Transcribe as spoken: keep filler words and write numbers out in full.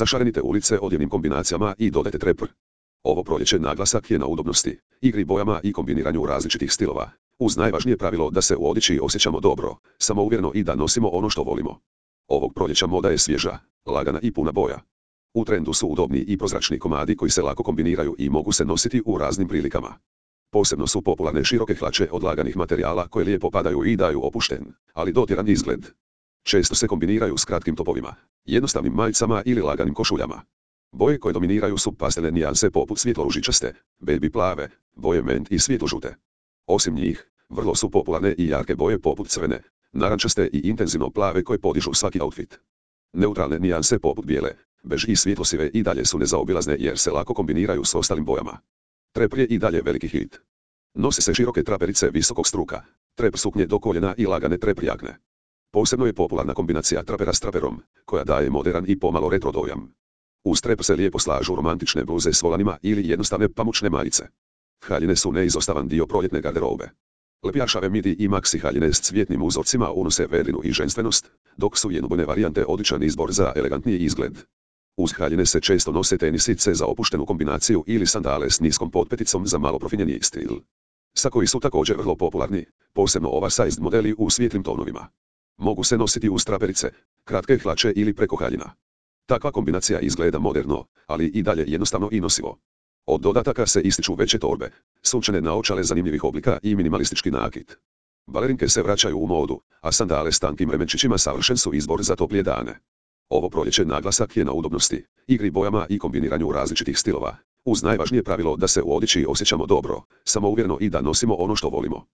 Zašarenite ulice odjevnim kombinacijama i dodajte trepr. Ovo proljeće naglasak je na udobnosti, igri bojama i kombiniranju različitih stilova, uz najvažnije pravilo da se u odjeći osjećamo dobro, samouvjereno i da nosimo ono što volimo. Ovog proljeća moda je svježa, lagana i puna boja. U trendu su udobni i prozračni komadi koji se lako kombiniraju i mogu se nositi u raznim prilikama. Posebno su popularne široke hlače od laganih materijala koje lijepo padaju i daju opušten, ali dotjeran izgled. Često se kombiniraju s kratkim topovima, jednostavnim majicama ili laganim košuljama. Boje koje dominiraju su pastelne nijanse poput svjetlo-ružičaste, baby plave, boje ment i svjetlo-žute. Osim njih, vrlo su popularne i jarke boje poput crvene, narančaste i intenzivno plave koje podižu svaki outfit. Neutralne nijanse poput bijele, bež i svjetlosive i dalje su nezaobilazne jer se lako kombiniraju s ostalim bojama. Trepr je i dalje veliki hit. Nose se široke traperice visokog struka, trepr suknje do koljena i lagane trepr jakne. Posebno je popularna kombinacija trapera s traperom, koja daje modern i pomalo retro dojam. Uz trepr se lijepo slažu romantične bluze s volanima ili jednostavne pamučne majice. Haljine su neizostavan dio proljetne garderobe. Lepjašave midi i maxi haljine s cvjetnim uzorcima unose vedrinu i ženstvenost, dok su jednobojne varijante odličan izbor za elegantniji izgled. Uz haljine se često nose tenisice za opuštenu kombinaciju ili sandale s niskom potpeticom za malo profinjeniji stil. Sakoji su također vrlo popularni, posebno oversized modeli u svijetlim tonovima. Mogu se nositi uz traperice, kratke hlače ili preko haljina. Takva kombinacija izgleda moderno, ali i dalje jednostavno i nosivo. Od dodataka se ističu veće torbe, sunčane naočale zanimljivih oblika i minimalistički nakit. Balerinke se vraćaju u modu, a sandale s tankim remenčićima savršen su izbor za toplije dane. Ovo proljeće naglasak je na udobnosti, igri bojama i kombiniranju različitih stilova, uz najvažnije pravilo da se u odjeći osjećamo dobro, samouvjereno i da nosimo ono što volimo.